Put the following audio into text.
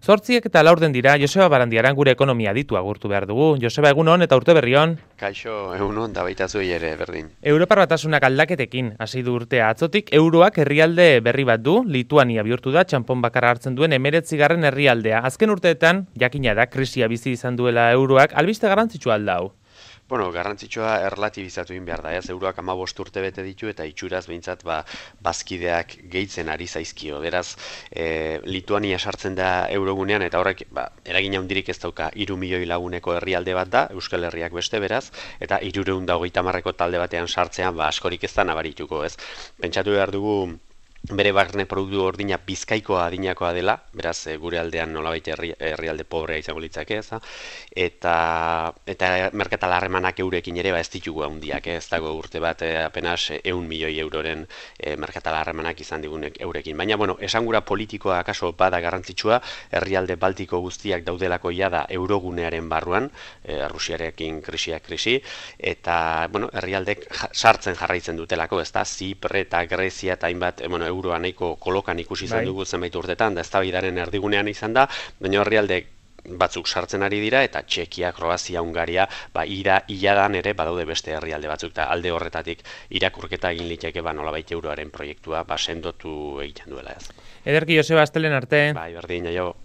8:04 dira, Joseba Barandiaran gure ekonomia ditu agurtu behar dugu. Joseba, egunon eta urte berrion. Kaixo, egunon, da baita zuei ere, berdin. Europar Batasunak aldaketekin hasi du urtea atzotik, euroak herrialde berri bat du, Lituania bihurtu da, txanpon bakarra hartzen duen 19. herrialdea. Azken urteetan, jakina da, krisia bizi izan duela euroak, albiste garrantzitsua alda hau. Bueno, garrantzitsua erlatibizatu egin behar da, ez? Euroak 15 urte bete ditu eta itxuraz behintzat bazkideak gehitzen ari zaizkio. Beraz, Lituania sartzen da eurogunean eta horrek eragin handirik ez dauka 3 milioi laguneko herrialde bat da, Euskal Herriak beste beraz, eta 330 talde batean sartzean askorik ez da nabarituko, ez? Pentsatu behar dugu bere barne produktu gordina Bizkaikoa adinakoa dela, beraz gure aldean nolabait herrialde pobrea izango litzake, ez? Eta merkatal harremanak eurekin ere ez ditugu handiak, ez dago urte bat apenas 100 milioi euroren merkatal harremanak izan digunek eurekin. Baina, bueno, esangura politikoa akaso bada garrantzitsua, herrialde baltiko guztiak daudelako jada eurogunearen barruan, Rusiarekin krisi, eta, bueno, herrialdek sartzen jarraitzen dutelako, ez da, Zipre eta Grezia eta hainbat, euroa nahiko kolokan ikusi izan dugu zenbait urtetan, da eztabaidaren erdigunean izan da, baina herrialde batzuk sartzen ari dira, eta Txekia, Kroazia, Hungaria, iladan ere badaude beste herrialde batzuk, eta alde horretatik irakurketa egin liteke nolabait euroaren proiektua sendotu egiten duela ez. Ederki Joseba, astelen arte. Bai, berdin, aio.